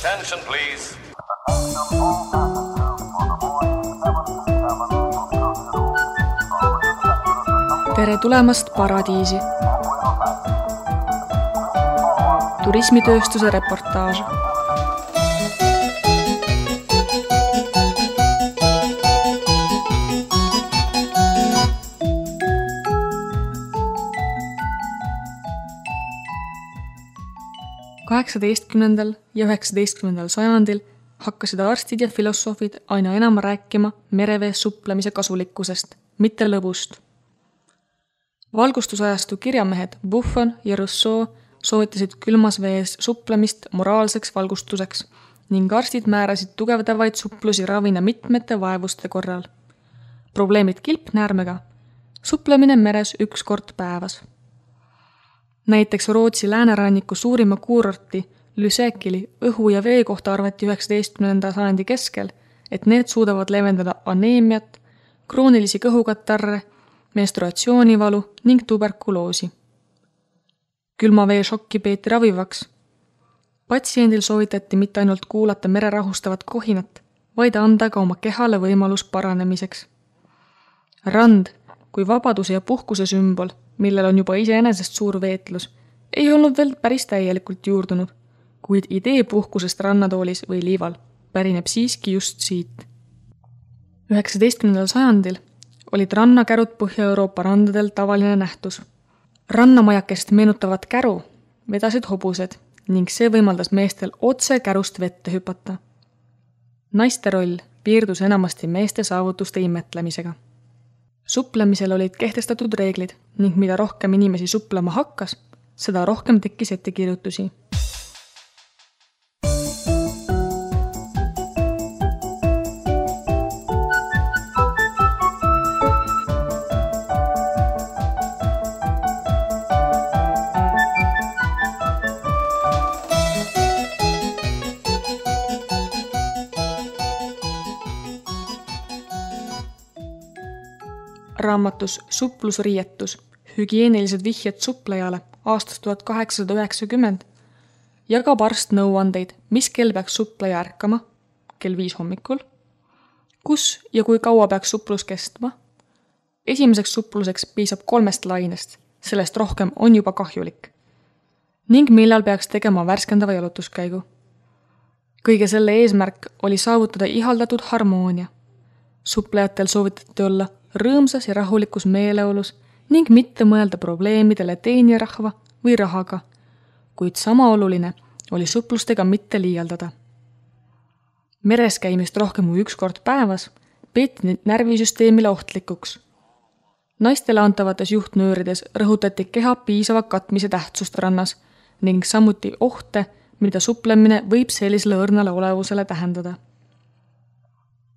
Attention, please. Tere tulemast Paradiisi. Turismitööstuse reportaaž. Kaheksateistkümnendal ja 19. sajandil hakkasid arstid ja filosoofid aina enam rääkima merevees suplemise kasulikkusest, mitte lõbust. Valgustusajastu kirjamehed Buffon ja Rousseau soovitasid külmas vees suplemist moraalseks valgustuseks ning arstid määrasid tugevdavaid suplusi ravina mitmete vaevuste korral. Probleemid kilpnäärmega, suplemine meres 1 kord päevas. Näiteks Rootsi lääneranniku suurima kuurorti Lysekili õhu ja vee kohta arvati 19. sajandi keskel, et need suudavad leevendada aneemiat, kroonilisi kõhukatarre, menstruatsioonivalu ning tuberkuloosi. Külma vee šokki peeti ravivaks. Patsiendil soovitati mitte ainult kuulata mere rahustavat kohinat, vaid anda ka oma kehale võimalus paranemiseks. Rand kui vabaduse ja puhkuse sümbol, millel on juba iseenesest suur veetlus, ei olnud veel päris täielikult juurdunud, kuid idee puhkusest rannatoolis või liival pärineb siiski just siit. 19. sajandil olid rannakärud Põhja-Euroopa randadel tavaline nähtus. Rannamajakest meenutavat käru vedasid hobused ning see võimaldas meestel otse kärust vette hüpata. Naiste roll piirdus enamasti meeste saavutuste imetlemisega. Suplemisel olid kehtestatud reeglid ning mida rohkem inimesi suplema hakkas, seda rohkem tekkis ettekirjutusi. Raamatus Suplusriietus, hügieenilised vihjed suplejale aastast 1890 jagab arst nõuandeid, mis kell peaks supleja ärkama, kell 5 hommikul, kus ja kui kaua peaks suplus kestma. Esimeseks supluseks piisab 3 lainest, sellest rohkem on juba kahjulik. Ning millal peaks tegema värskendava jalutuskäigu. Kõige selle eesmärk oli saavutada ihaldatud harmoonia. Suplejatel soovitati olla rõõmsas ja rahulikus meeleolus ning mitte mõelda probleemidele teenirahva või rahaga, kuid sama oluline oli suplustega mitte liialdada. Meres käimist rohkem kui 1 kord päevas peeti närvisüsteemile ohtlikuks. Naistele antavates juhtnöörides rõhutati keha piisava katmise tähtsust rannas ning samuti ohte, mida suplemine võib sellisele õrnale olevusele tähendada.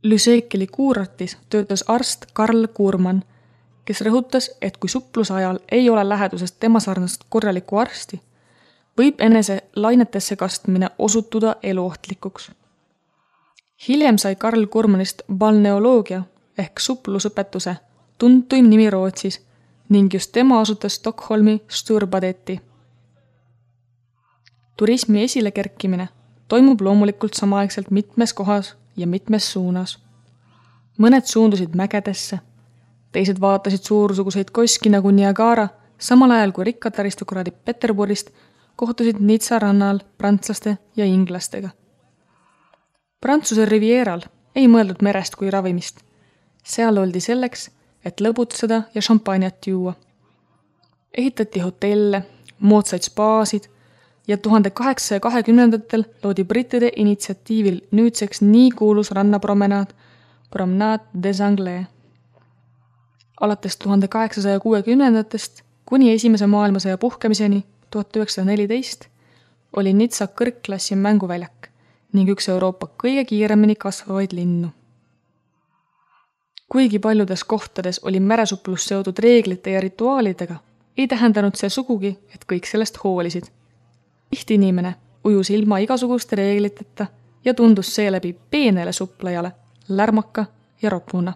Lysekili kuurortis töötas arst Karl Kurman, kes rõhutas, et kui supluse ajal ei ole lähedusest tema sarnast korralikku arsti, võib enese lainetesse kastmine osutuda eluohtlikuks. Hiljem sai Karl Kurmanist balneoloogia ehk suplusõpetuse tuntuim nimi Rootsis ning just tema asutas Stockholmi Sturbadeti. Turismi esilekerkimine toimub loomulikult samaaegselt mitmes kohas ja mitmes suunas. Mõned suundusid mägedesse, teised vaatasid suursuguseid koski nagu Niagara, samal ajal kui rikkad aristokraadid Peterburist kohtusid Nizza rannal prantslaste ja inglastega. Prantsuse rivieral ei mõeldud merest kui ravimist. Seal oldi selleks, et lõbutseda ja šampanjat juua. Ehitati hotelle, moodsaid spaasid ja 1820-ndatel loodi brittide initsiatiivil nüüdseks nii kuulus rannapromenaad Promenade des Anglais. Alates 1860-ndatest kuni Esimese maailmasõja puhkemiseni 1914 oli Nizza kõrgklassi mänguväljak ning üks Euroopa kõige kiiremini kasvavaid linnu. Kuigi paljudes kohtades oli meresuplus seotud reeglite ja rituaalidega, ei tähendanud see sugugi, et kõik sellest hoolisid. Tihti inimene ujus ilma igasuguste reegliteta ja tundus seeläbi peenele suplejale, lärmaka ja ropuna.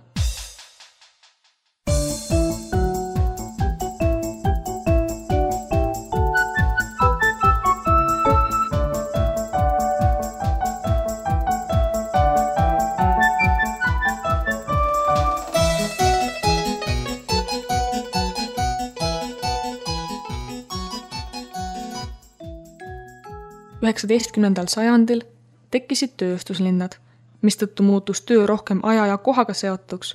19. sajandil tekkisid tööstuslinnad, mistõttu muutus töö rohkem aja ja kohaga seotuks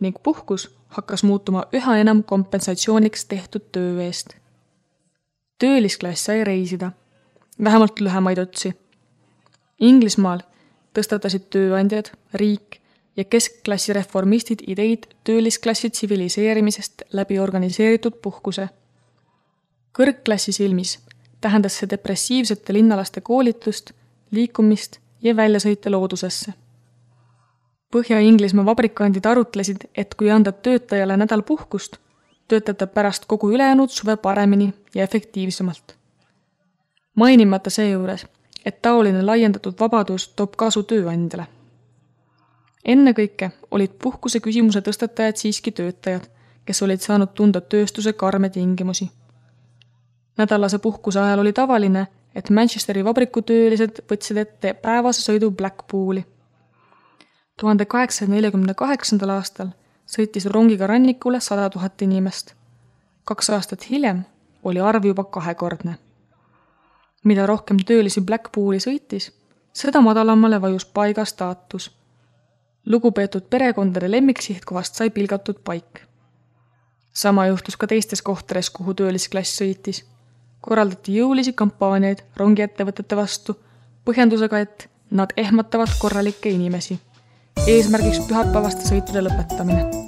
ning puhkus hakkas muutuma üha enam kompensatsiooniks tehtud töö eest. Töölisklass sai reisida, vähemalt lühemaid otsi. Inglismaal tõstatasid tööandjad, riik ja keskklassi reformistid ideid töölisklassi tsiviliseerimisest läbi organiseeritud puhkuse. Kõrgklassi silmis tähendas see depressiivsete linnalaste koolitust, liikumist ja väljasõite loodusesse. Põhja-Inglismaa vabrikandid arutlesid, et kui anda töötajale nädal puhkust, töötab ta pärast kogu ülejäänud suve paremini ja efektiivsemalt. Mainimata seejuures, et taoline laiendatud vabadus toob kasu tööandjale. Ennekõike olid puhkuse küsimuse tõstatajad siiski töötajad, kes olid saanud tunda tööstuse karme tingimusi. Nädalase puhkuse ajal oli tavaline, et Manchesteri vabrikutöölised võtsid ette päevase sõidu Blackpooli. 1848. aastal sõitis rongiga rannikule 100 000 inimest. 2 aastat hiljem oli arv juba 2-kordne. Mida rohkem töölisi Blackpooli sõitis, seda madalamale vajus paiga staatus. Lugupeetud perekondade lemmiksihtkohast sai pilgatud paik. Sama juhtus ka teistes kohtades, kuhu töölisklass sõitis. Korraldati jõulisi kampaaniaid rongiettevõtete vastu, põhjendusega, et nad ehmatavad korralikke inimesi. Eesmärgiks pühapäevaste sõitude lõpetamine.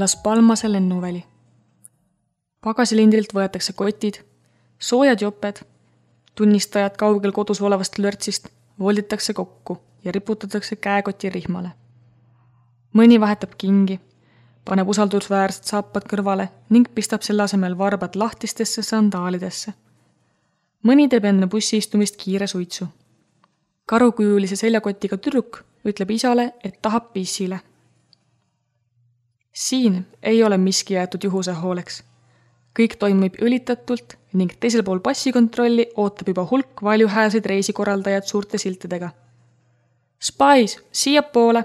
Las Palmase lennuväli. Pagasilindrilt võetakse kotid, soojad joped, tunnistajad kaugel kodus olevast lörtsist volditakse kokku ja riputatakse käekoti rihmale. Mõni vahetab kingi, paneb usaldusväärsed saapad kõrvale ning pistab selle asemel varbad lahtistesse sandaalidesse. Mõni teeb enne bussiistumist kiire suitsu. Karukujulise seljakotiga tüdruk ütleb isale, et tahab pissile. Siin ei ole miski jäetud juhuse hooleks. Kõik toimub õlitatult ning teisel pool passikontrolli ootab juba hulk valjuhääseid reisikorraldajad suurte siltidega. Spies, siia poole!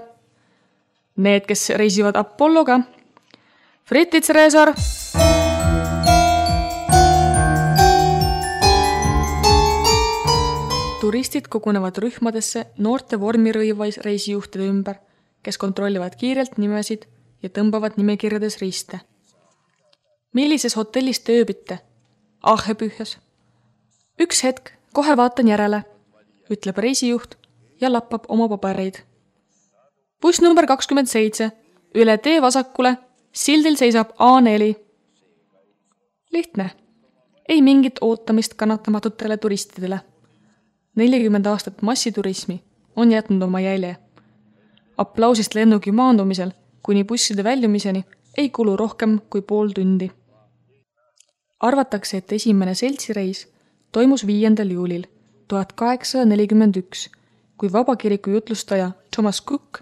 Need, kes reisivad Apolloga. Fritits Reesar! Turistid kogunevad rühmadesse noorte vormirõivais reisijuhtide ümber, kes kontrollivad kiirelt nimesid ja tõmbavad nimekirjades riste. Millises hotellis te ööbite? Ahepühjas. Üks hetk, kohe vaatan järele, ütleb reisijuht ja lappab oma pabereid. Buss number 27, üle tee vasakule, sildil seisab A4. Lihtne. Ei mingit ootamist kannatamatutele turistidele. 40 aastat massiturismi on jätnud oma jälje. Aplausist lennugi maandumisel kuni busside väljumiseni ei kulu rohkem kui pool tundi. Arvatakse, et esimene seltsireis toimus 5. juulil 1841, kui vabakiriku jutlustaja Thomas Cook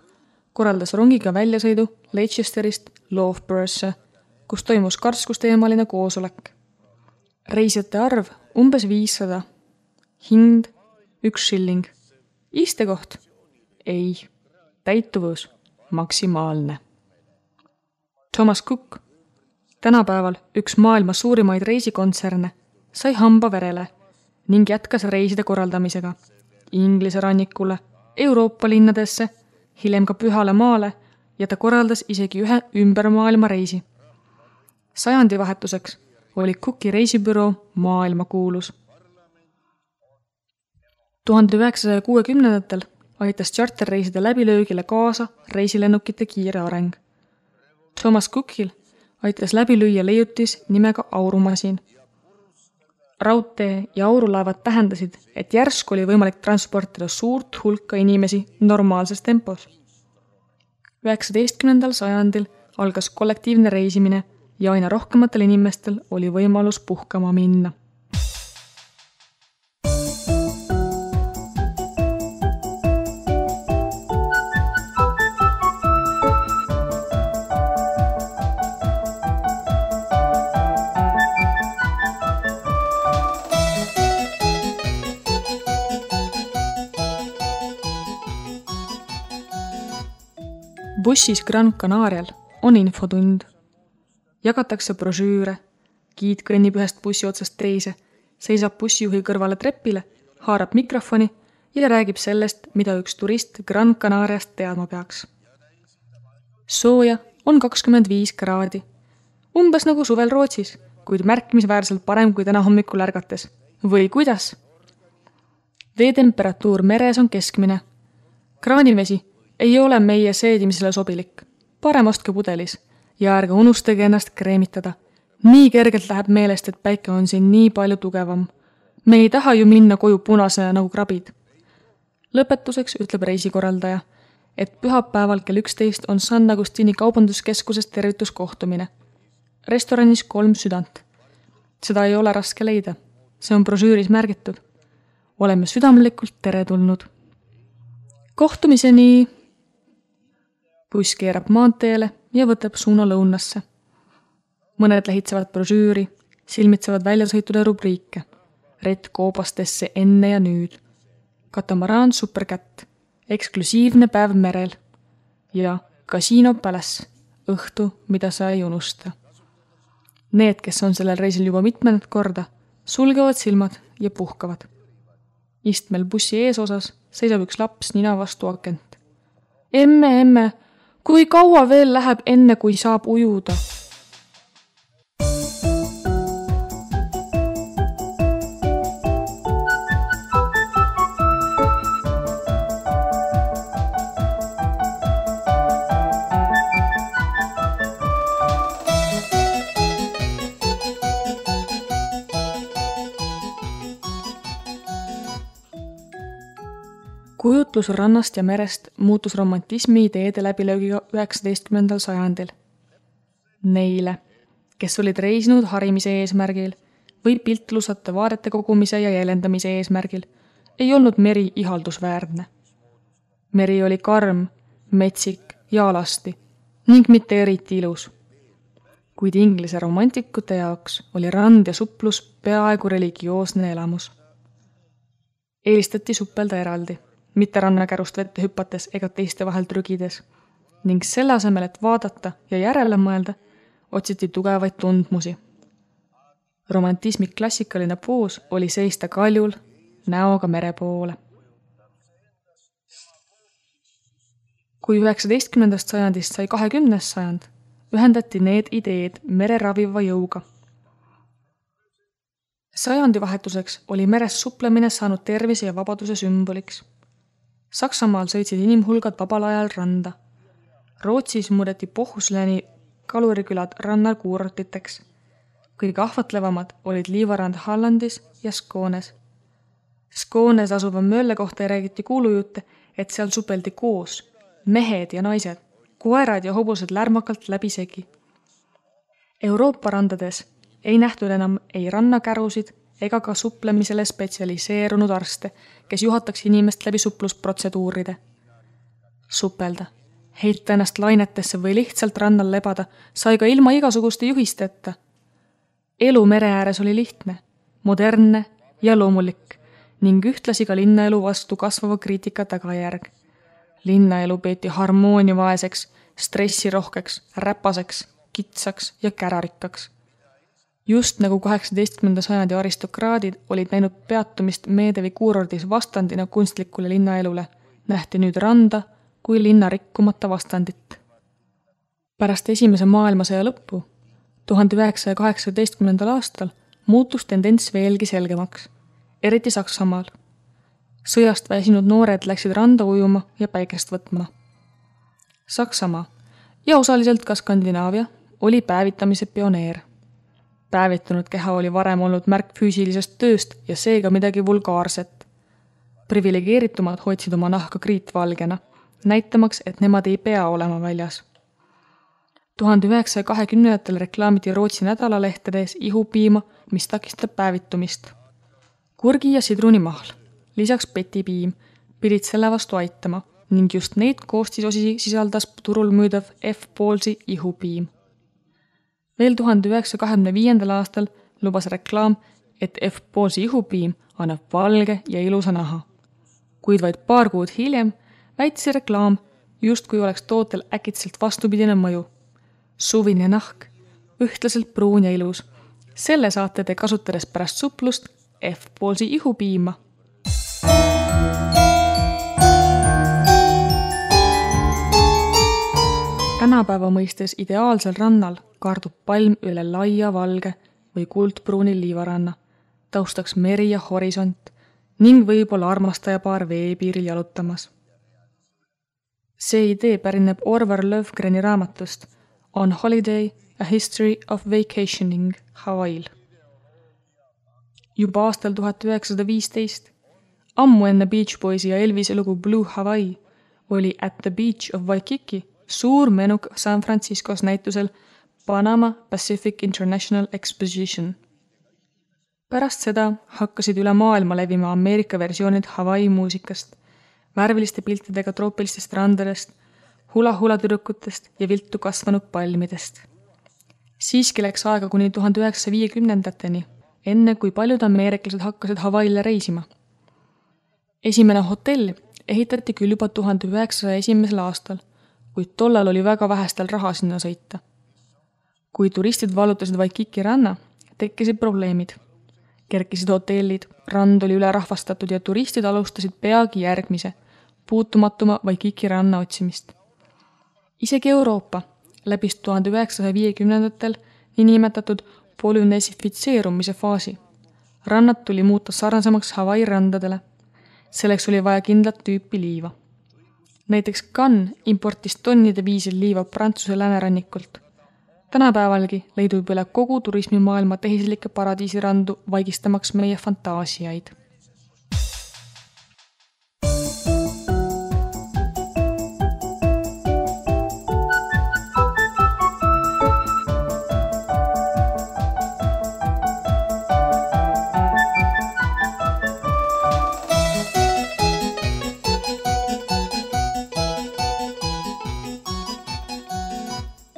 korraldas rongiga väljasõidu Leicesterist Loughborough'sse, kus toimus karskusteemaline koosolek. Reisijate arv umbes 500. Hind 1 shilling. Istekoht? Ei. Täituvus maksimaalne. Thomas Cook, tänapäeval üks maailma suurimaid reisikontserne, sai hamba verele ning jätkas reiside korraldamisega Inglise rannikule, Euroopa linnadesse, hiljem ka Pühale maale ja ta korraldas isegi ühe ümbermaailma reisi. Sajandivahetuseks oli Cooki reisibüroo maailmakuulus. 1960-ndatel aitas charterreiside läbilöögile kaasa reisilennukite kiire areng. Thomas Cookil aitas läbi lüüa leiutis nimega aurumasin. Raudtee ja aurulaevad tähendasid, et järsku oli võimalik transportida suurt hulka inimesi normaalses tempos. 19. sajandil algas kollektiivne reisimine ja aina rohkematel inimestel oli võimalus puhkama minna. Bussis Gran Canarial on infotund. Jagatakse brošüüre, giid kõnnib ühest bussi otsast teise, seisab bussijuhi kõrvale trepile, haarab mikrofoni ja räägib sellest, mida üks turist Gran Canariast teadma peaks. Sooja on 25 kraadi. Umbes nagu suvel Rootsis, kuid märkimisväärselt parem kui täna hommikul ärgates. Või kuidas? Veetemperatuur meres on keskmine. Kraanivesi ei ole meie seedimisele sobilik. Parem ostke pudelis ja ärge unustage ennast kreemitada. Nii kergelt läheb meelest, et päike on siin nii palju tugevam. Me ei taha ju minna koju punasena nagu krabid. Lõpetuseks ütleb reisikorraldaja, et pühapäeval kell 11 on San Agustini kaubanduskeskuses tervituskohtumine. Restoranis 3 südant. Seda ei ole raske leida. See on brošüüris märgitud. Oleme südamlikult teretulnud. Kohtumiseni. Buss keerab maanteele ja võtab suuna lõunasse. Mõned lehitsevad brošüüri, silmitsevad väljasõitude rubriike. Rett koobastesse enne ja nüüd. Katamaraan Supercat, eksklusiivne päev merel ja Casino Palace, õhtu, mida sa ei unusta. Need, kes on sellel reisil juba mitmendat korda, sulgevad silmad ja puhkavad. Istmel bussi eesosas seisab üks laps nina vastu akent. Emme, kui kaua veel läheb enne, kui saab ujuda? Kujutlus rannast ja merest muutus romantismi ideede läbilöögiga 19. sajandil. Neile, kes olid reisinud harimise eesmärgil või piltlusate vaadete kogumise ja jäljendamise eesmärgil, ei olnud meri ihaldusväärne. Meri oli karm, metsik ja alasti ning mitte eriti ilus. Kuid inglise romantikute jaoks oli rand ja suplus peaaegu religioosne elamus. Eelistati suppelda eraldi, mitte rannakärust vette hüpates ega teiste vahel trügides, ning selle asemel, et vaadata ja järele mõelda, otsiti tugevaid tundmusi. Romantismi klassikaline poos oli seista kaljul, näoga mere poole. Kui 19. sajandist sai 20. sajand, ühendati need ideed mere raviva jõuga. Sajandivahetuseks oli meres suplemine saanud tervise ja vabaduse sümboliks. Saksamaal sõitsid inimhulgad vabal ajal randa. Rootsis muudeti Pohhusleni kalurikülad rannal kuurortiteks. Kõige ahvatlevamad olid liivarand Hollandis ja Skånes. Skånes asuva möölle kohta räägiti kuulujutte, et seal supeldi koos, mehed ja naised, koerad ja hobused lärmakalt läbisegi. Euroopa randades ei nähtud enam ei rannakärusid ega ka suplemisele spetsialiseerunud arste, kes juhataks inimest läbi suplusprotseduuride. Supelda, heita ennast lainetesse või lihtsalt rannal lebada sai ka ilma igasuguste juhisteta. Elu mere ääres oli lihtne, modernne ja loomulik ning ühtlasi ka linnaelu vastu kasvava kriitika tagajärg. Linnaelu peeti harmooniavaeseks, stressirohkeks, räpaseks, kitsaks ja kärarikkaks. Just nagu 18. sajandi aristokraadid olid näinud peatumist Meedevi kuurordis vastandina kunstlikule linnaelule, nähti nüüd randa kui linna rikkumata vastandit. Pärast esimese maailmasõja lõppu, 1918. aastal, muutus tendents veelgi selgemaks, eriti Saksamaal. Sõjast väsinud noored läksid randa ujuma ja päikest võtma. Saksamaa ja osaliselt ka Skandinaavia oli päevitamise pioneer. Päevitunud keha oli varem olnud märk füüsilisest tööst ja seega midagi vulgaarset. Privilegeeritumad hoidsid oma nahka kriitvalgena, näitamaks, et nemad ei pea olema väljas. 1920. reklaamiti Rootsi nädalalehtedes ihupiima, mis takistab päevitumist. Kurgi ja sidrunimahl, lisaks petipiim, pidid selle vastu aitama ning just neid koostisosi sisaldas turul müüdav F-Paulsi ihupiim. Veel 1925. aastal lubas reklaam, et F-Paulsi ihupiim annab valge ja ilusa naha. Kuid vaid paar kuud hiljem väitis reklaam, justkui oleks tootel äkitselt vastupidine mõju. Suvine nahk, ühtlaselt pruun ja ilus. Selle saate te kasutades pärast suplust F-poolsi ihupiima. Tänapäeva mõistes ideaalsel rannal kaardub palm üle laia valge või kuldpruuni liivaranna, taustaks meri ja horisont ning võib-olla armastajapaar veepiiril jalutamas. See idee pärineb Orvar Löfgreni raamatust On Holiday, A History of Vacationing Hawaii'l. Juba aastal 1915, ammu enne Beach Boysi ja Elvise lugu Blue Hawaii, oli At the Beach of Waikiki suur menuk San Franciscos näitusel Panama Pacific International Exposition. Pärast seda hakkasid üle maailma levima Ameerika versioonid Hawaii muusikast, värviliste piltidega troopilistest randadest, hula-hula tüdrukutest ja viltu kasvanud palmidest. Siiski läks aega kuni 1950-ndateni, enne kui paljud ameeriklased hakkasid Hawaii'le reisima. Esimene hotell ehitati küll juba 1901. aastal, kuid tollal oli väga vähestel raha sinna sõita. Kui turistid vallutasid Waikiki ranna, tekkisid probleemid. Kerkisid hotellid, rand oli üle rahvastatud ja turistid alustasid peagi järgmise, puutumatuma Waikiki ranna otsimist. Isegi Euroopa läbis 1950-ndatel niinimetatud polünesifitseerumise faasi. Rannad tuli muuta sarnasemaks Hawaii randadele. Selleks oli vaja kindlat tüüpi liiva. Näiteks Cannes importis tonnide viisil liiva Prantsuse läänerannikult. Tänapäevalgi leidub üle kogu turismimaailma tehislikke paradiisirandu vaigistamaks meie fantaasiaid.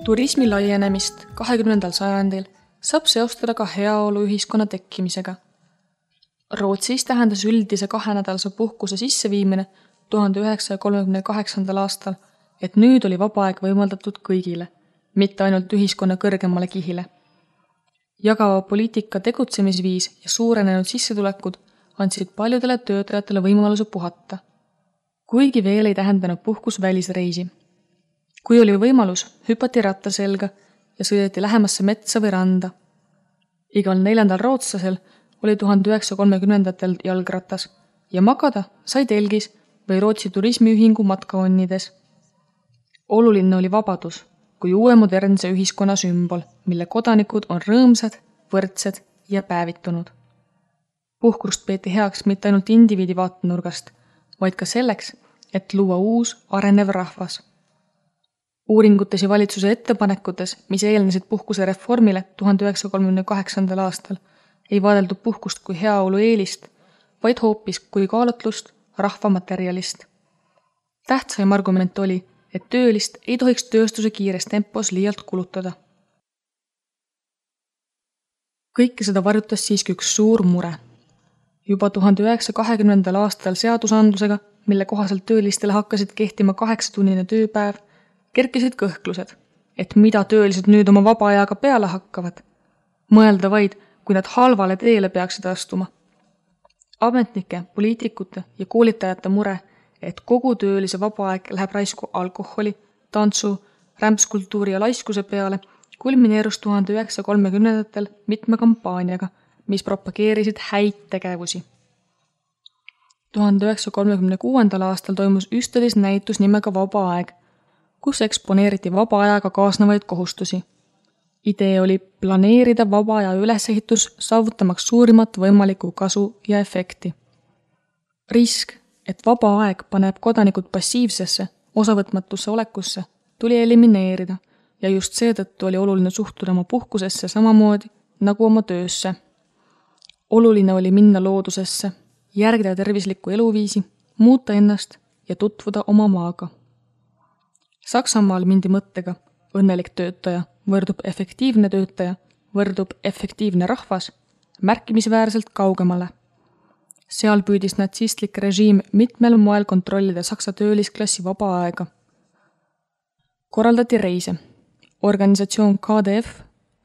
Turismi laienemist 20. sajandil saab seostada ka heaoluühiskonna tekkimisega. Rootsis tähendas üldise 2-nädalase puhkuse sisseviimine 1938. aastal, et nüüd oli vaba aeg võimaldatud kõigile, mitte ainult ühiskonna kõrgemale kihile. Jagava poliitika tegutsemisviis ja suurenenud sissetulekud andsid paljudele töötajatele võimaluse puhata, kuigi veel ei tähendanud puhkus välisreisi. Kui oli võimalus, hüpati ratta selga ja sõideti lähemasse metsa või randa. Igal 4. rootslasel oli 1930-ndatel jalgratas ja magada sai telgis või Rootsi turismiühingu matkaonnides. Oluline oli vabadus kui uue modernse ühiskonna sümbol, mille kodanikud on rõõmsad, võrdsed ja päevitunud. Puhkust peeti heaks mitte ainult indiviidi vaatenurgast, vaid ka selleks, et luua uus arenev rahvas. Uuringutes ja valitsuse ettepanekutes, mis eelnesid puhkuse reformile 1938. aastal, ei vaadeldud puhkust kui heaolu eelist, vaid hoopis kui kaalutlust rahvamaterjalist. Tähtsaim argument oli, et töölist ei tohiks tööstuse kiires tempos liialt kulutada. Kõike seda varjutas siiski üks suur mure. Juba 1920. aastal seadusandlusega, mille kohaselt töölistele hakkasid kehtima 8-tunnine tööpäev, kerkisid kõhklused, et mida töölised nüüd oma vaba ajaga peale hakkavad. Mõelda vaid, kui nad halvale teele peaksid astuma. Ametnike, poliitikute ja koolitajate mure, et kogu töölise vaba aeg läheb raisku alkoholi, tantsu, rämpskultuuri ja laiskuse peale, kulmineerus 1930-ndatel mitme kampaaniaga, mis propageerisid häid tegevusi. 1936. aastal toimus Üstedis näitus nimega Vaba aeg, kus eksponeeriti vaba ajaga kaasnevaid kohustusi. Idee oli planeerida vaba aja ülesehitus saavutamaks suurimat võimalikku kasu ja efekti. Risk, et vaba aeg paneb kodanikud passiivsesse, osavõtmatusse olekusse, tuli elimineerida ja just seetõttu oli oluline suhtuda oma puhkusesse samamoodi nagu oma töösse. Oluline oli minna loodusesse, järgida tervislikku eluviisi, muuta ennast ja tutvuda oma maaga. Saksamaal mindi mõttega õnnelik töötaja võrdub efektiivne töötaja, võrdub efektiivne rahvas märkimisväärselt kaugemale. Seal püüdis natsistlik režiim mitmel moel kontrollida Saksa töölisklassi vaba aega. Korraldati reise. Organisatsioon KDF,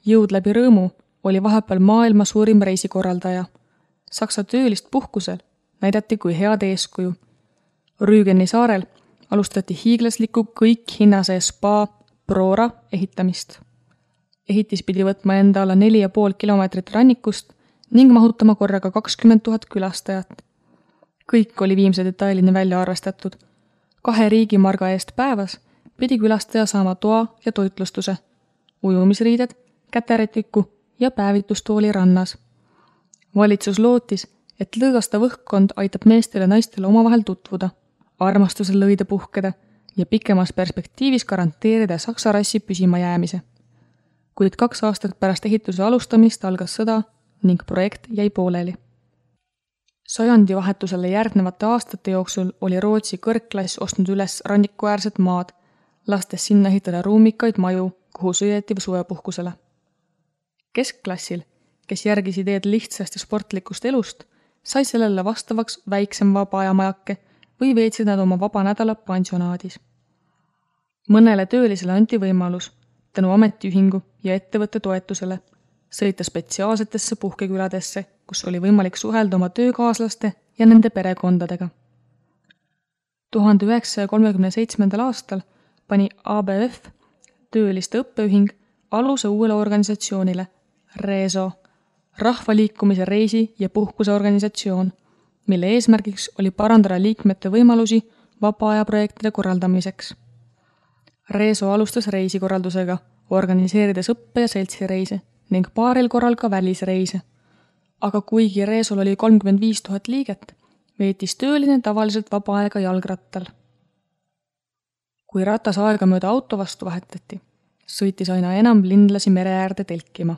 Jõud läbi rõõmu, oli vahepeal maailma suurim reisikorraldaja. Saksa töölist puhkusel näidati kui head eeskuju. Rügeni saarel alustati hiiglaslikku kõik hinnase spa Prora ehitamist. Ehitis pidi võtma enda alla 4,5 kilomeetrit rannikust ning mahutama korraga 20 000 külastajat. Kõik oli viimse detailini välja arvestatud. 2 riigimarga eest päevas pidi külastaja saama toa ja toitlustuse, ujumisriided, käterätiku ja päevitustooli rannas. Valitsus lootis, et lõõgastav õhkkond aitab meestele ja naistele omavahel tutvuda, armastusel lõide puhkeda ja pikemas perspektiivis garanteerida Saksa rassi püsima jäämise. Kuid 2 aastat pärast ehituse alustamist algas sõda ning projekt jäi pooleli. Sajandivahetusele järgnevate aastate jooksul oli Rootsi kõrgklass ostnud üles rannikuäärset maad, lastes sinna ehitada ruumikaid maju, kuhu sõideti suvepuhkusele. Keskklassil, kes järgis ideed lihtsast ja sportlikust elust, sai sellele vastavaks väiksem vaba-ajamajake või veetsid nad oma vaba nädala pansionaadis. Mõnele töölisele anti võimalus, tänu ametiühingu ja ettevõtte toetusele, sõita spetsiaalsetesse puhkeküladesse, kus oli võimalik suhelda oma töökaaslaste ja nende perekondadega. 1937. aastal pani ABF, tööliste õppeühing, aluse uuele organisatsioonile, RESO, rahvaliikumise reisi- ja puhkuseorganisatsioon, mille eesmärgiks oli parandada liikmete võimalusi vaba-ajaprojektide korraldamiseks. RESO alustas reisikorraldusega, organiseerides õppe- ja seltsireise ning paaril korral ka välisreise. Aga kuigi RESOl oli 35 000 liiget, veetis tööline tavaliselt vaba aega jalgrattal. Kui ratas aegamööda auto vastu vahetati, sõitis aina enam linlasi mere äärde telkima.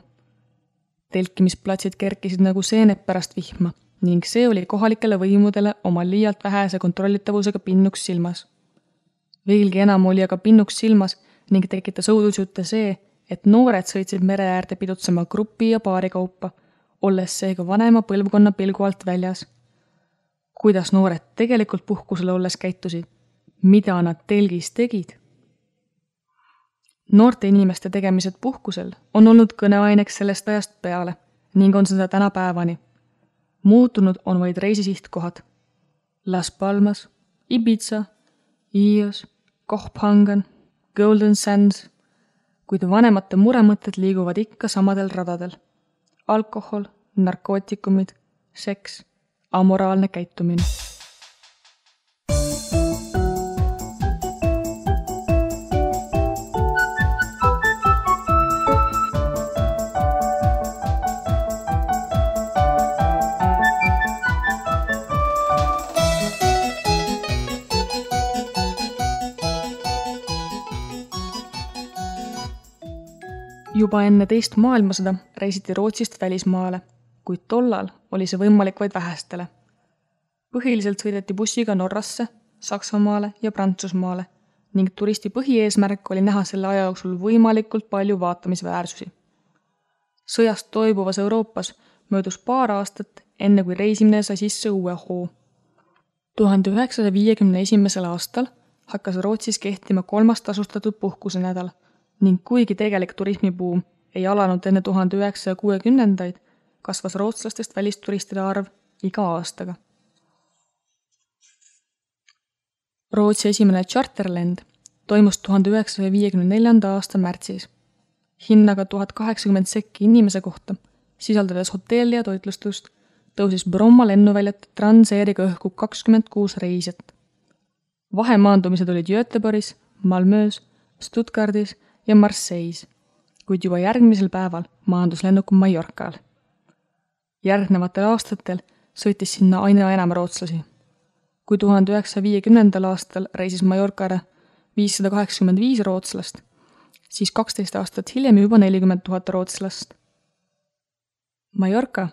Telkimisplatsid kerkisid nagu seened pärast vihma ning see oli kohalikele võimudele oma liialt vähese kontrollitavusega pinnuks silmas. Veelgi enam oli aga pinnuks silmas ning tekitas õudusjutte see, et noored sõitsid mere äärde pidutsema grupi ja paari kaupa, olles seega vanema põlvkonna pilgu alt väljas. Kuidas noored tegelikult puhkusel olles käitusid? Mida nad telgis tegid? Noorte inimeste tegemised puhkusel on olnud kõneaineks sellest ajast peale ning on seda tänapäevani. Muutunud on vaid reisisihtkohad. Las Palmas, Ibiza, Ios, Kopenhagen, Golden Sands, kuid vanemate muremõtted liiguvad ikka samadel radadel. Alkohol, narkootikumid, seks, amoraalne käitumine. Juba enne teist maailmasõda reisiti Rootsist välismaale, kuid tollal oli see võimalik vaid vähestele. Põhiliselt sõideti bussiga Norrasse, Saksamaale ja Prantsusmaale ning turisti põhieesmärk oli näha selle aja jooksul võimalikult palju vaatamisväärsusi. Sõjast toibuvas Euroopas möödus paar aastat, enne kui reisimine sai sisse uue hoo. 1951. aastal hakkas Rootsis kehtima 3. tasustatud puhkusenädal ning kuigi tegelik turismibuum ei alanud enne 1960-ndaid, kasvas rootslastest välisturistide arv iga aastaga. Rootsi esimene charterlend toimus 1954. aasta märtsis. Hinnaga 1080 sekki inimese kohta, sisaldades hotelli ja toitlustust, tõusis Bromma lennuväljat Transairiga õhku 26 reisijat. Vahemaandumised olid Göteborgis, Malmöös, Stuttgardis ja Marseilles, kuid juba järgmisel päeval maandus lennuk Mallorcal. Järgnevatel aastatel sõitis sinna aina enam rootslasi. Kui 1950. aastal reisis Mallorcale 585 rootslast, siis 12 aastat hiljem juba 40 000 rootslast. Mallorca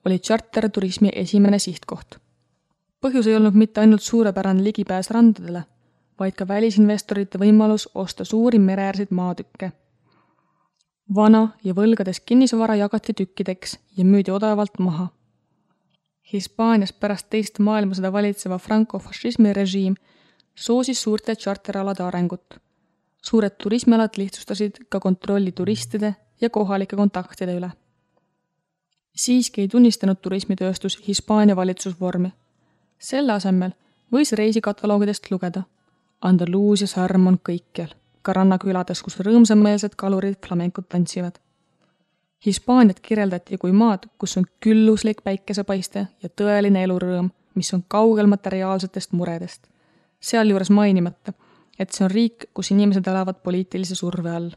oli charterturismi esimene sihtkoht. Põhjus ei olnud mitte ainult suurepärane ligipääs randadele, vaid ka välisinvestorite võimalus osta suuri mereäärseid maatükke. Vana ja võlgades kinnisvara jagati tükkideks ja müüdi odavalt maha. Hispaanias pärast teist maailmasõda valitseva franco-fašismi režiim soosis suurte charteralade arengut. Suured turismialad lihtsustasid ka kontrolli turistide ja kohalike kontaktide üle. Siiski ei tunnistanud turismitööstus Hispaania valitsusvormi. Selle asemel võis reisikataloogidest lugeda. Andaluusia särm on kõikjal, ka rannakülades, kus rõõmsameelsed kalurid flamenkut tantsivad. Hispaaniat kirjeldati kui maad, kus on külluslik päikesepaiste ja tõeline elurõõm, mis on kaugel materiaalsetest muredest. Sealjuures mainimata, et see on riik, kus inimesed elavad poliitilise surve all.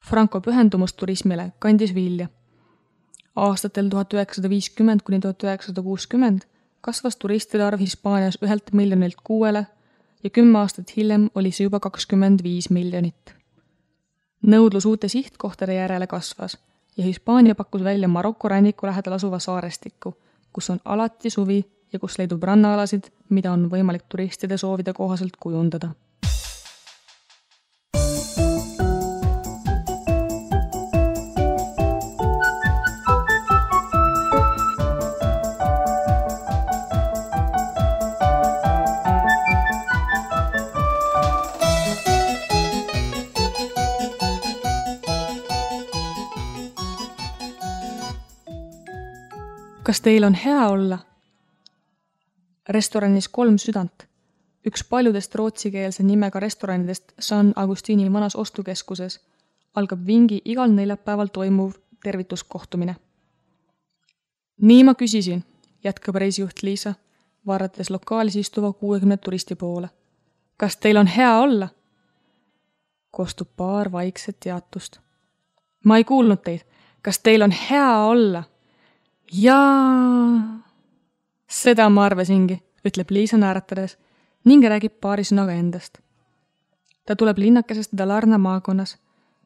Franco pühendumus turismile kandis vilja. Aastatel 1950 kuni 1960 kasvas turistide arv Hispaanias 1 miljonilt 6 ja 10 aastat hiljem oli see juba 25 miljonit. Nõudlus uute sihtkohtade järele kasvas ja Hispaania pakkus välja Maroko ranniku lähedal asuva saarestiku, kus on alati suvi ja kus leidub rannaalasid, mida on võimalik turistide soovide kohaselt kujundada. Kas teil on hea olla? Restoranis 3 südant. Üks paljudest rootsikeelse nimega restoranidest San Agustini vanas ostukeskuses algab vingi igal neljapäeval toimuv tervituskohtumine. Nii ma küsisin, jätkab reisijuht Liisa, vaadates lokaalis istuva 60 turisti poole. Kas teil on hea olla? Kostub paar vaikset teatust. Ma ei kuulnud teid. Kas teil on hea olla? Jaa, seda ma arvasingi, ütleb Liisa naeratades ning räägib paari sõnaga endast. Ta tuleb linnakesest Dalarna maakonnas,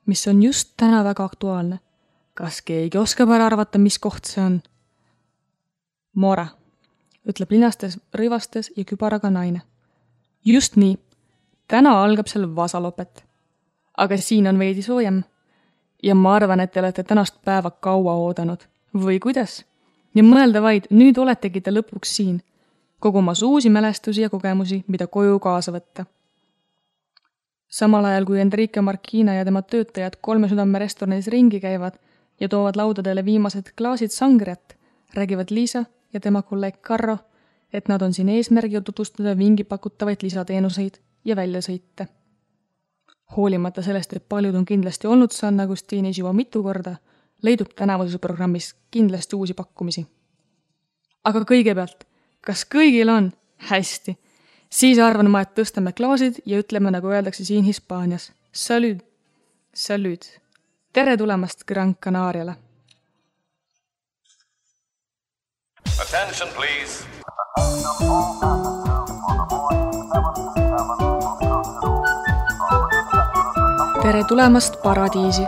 mis on just täna väga aktuaalne. Kas keegi oskab ära arvata, mis koht see on? Mora, ütleb linnastes, rõivastes ja kübaraga naine. Just nii, täna algab seal vasalopet. Aga siin on veidi soojem. Ja ma arvan, et te olete tänast päeva kaua oodanud. Või kuidas? Ja mõelda vaid, nüüd oletegi te lõpuks siin, kogumas uusi mälestusi ja kogemusi, mida koju kaasa võtta. Samal ajal, kui Enrique Marquina ja tema töötajad 3 südame restoranis ringi käivad ja toovad laudadele viimased klaasid sangriat, räägivad Liisa ja tema kolleeg Carro, et nad on siin eesmärgil tutvustada vingi pakutavaid lisateenuseid ja väljasõite. Hoolimata sellest, et paljud on kindlasti olnud San Agustinis juba mitu korda, leidub tänavuses programmis kindlasti uusi pakkumisi. Aga kõigepealt, kas kõigil on? Hästi. Siis arvan ma, et tõstame klaasid ja ütleme, nagu öeldakse siin Hispaanias. Salud. Salud. Tere tulemast Gran Canariale. Attention, please. Tere tulemast paradiisi.